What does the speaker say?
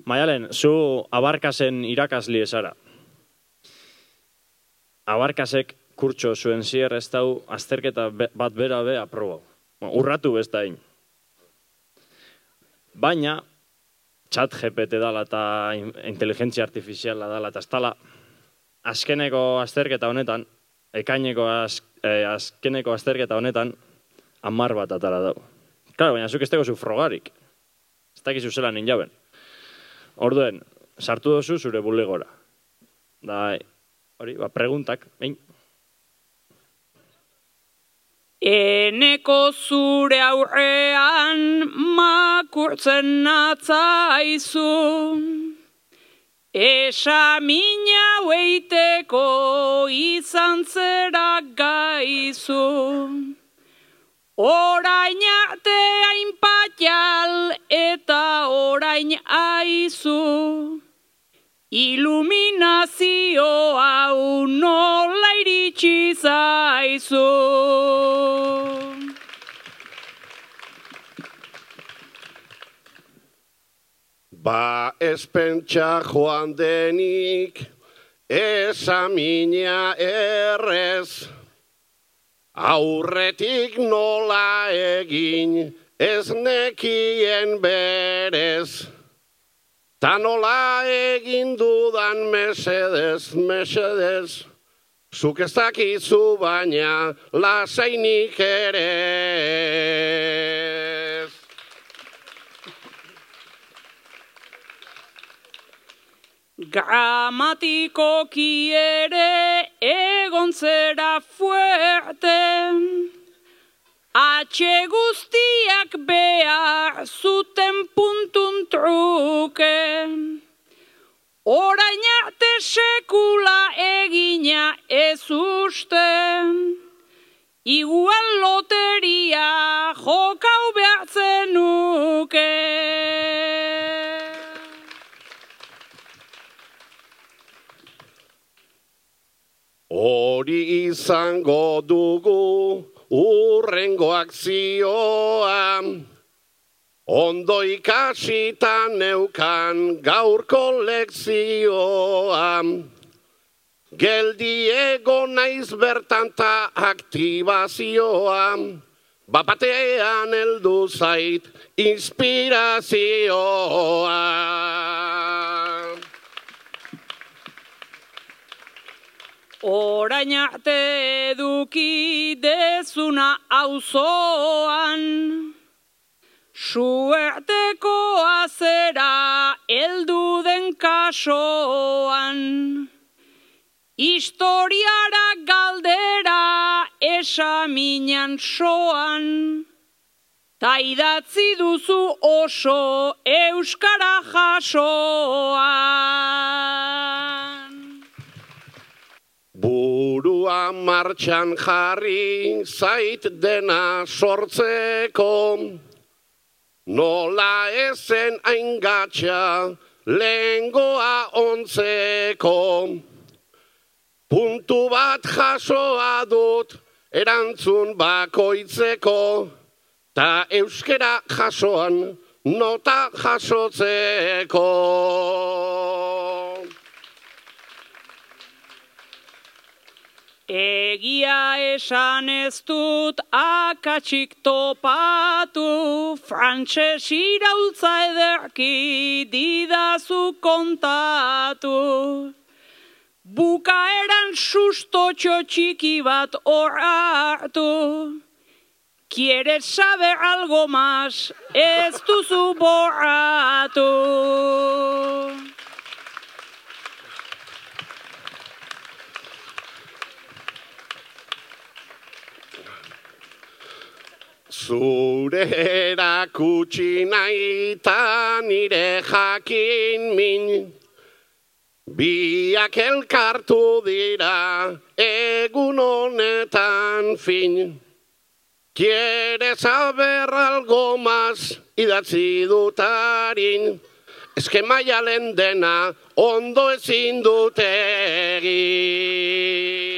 Maialen, zu Abarkasen irakasli esara. Abarkasek kurtso zuen zier ez dau azterketa bat bera be aprobau. Urratu bestain. Baina, chat GPT dala eta inteligentzia artifiziala dala eta ez dala, azkeneko azterketa honetan, ekaineko azkeneko azterketa honetan, 10 bat atara dau. Claro, baina zuk ez teko zu frogarik. Ez dakizu zela ninjaben. Orduen, sartu dozu zure bulegora. Da, hori, preguntak, behin. Eneko zure aurrean makurtzen natzaizu, esamina hueiteko izan zera gaizu. Orain arte hainpatial eta orain aizu, iluminazio hau nola iritsi zaizu. Ba ez pentsa joan denik, esamina errez, aurretik nola egin ez nekien berez. Ta nola egin dudan mesedez, mesedez, zuk ez dakizu baina lasainik ere. Gramatikoki ere egon zera fuerte, H guztiak behar zuten puntun truke. Orain arte sekula egina ez uste, igual loteria jokau behartzen nuke. Hori izango dugu urrengo akzioa, ondo ikasita neukan gaurko lekzioa. Geldi egon naiz bertan ta aktibazioa, bapatean heldu zait inspirazioa. Orain arte eduki dezuna auzoan, suertekoa zera heldu den kasoan. Historiara galdera esaminan soan, ta idatzi duzu oso euskara jasoan. Burua martxan jarri zait dena sortzeko, nola ezen aingatxa lehengoa ontzeko. Puntu bat jasoa dut erantzun bakoitzeko, ta euskera jasoan nota jasotzeko. Egia esan ez dut akatsik topatu, frantses iraultza ederki didazu kontatu. Bukaeran sustotxo txiki bat hor hartu, quieres saber algo más, ez duzu borratu. Zure erakutsi nahi ta nire jakin min, biak elkartu dira egun honetan fin. Quieres saber algo más, idatzi dutarin, eske Maialen dena ondo ezin dut egin.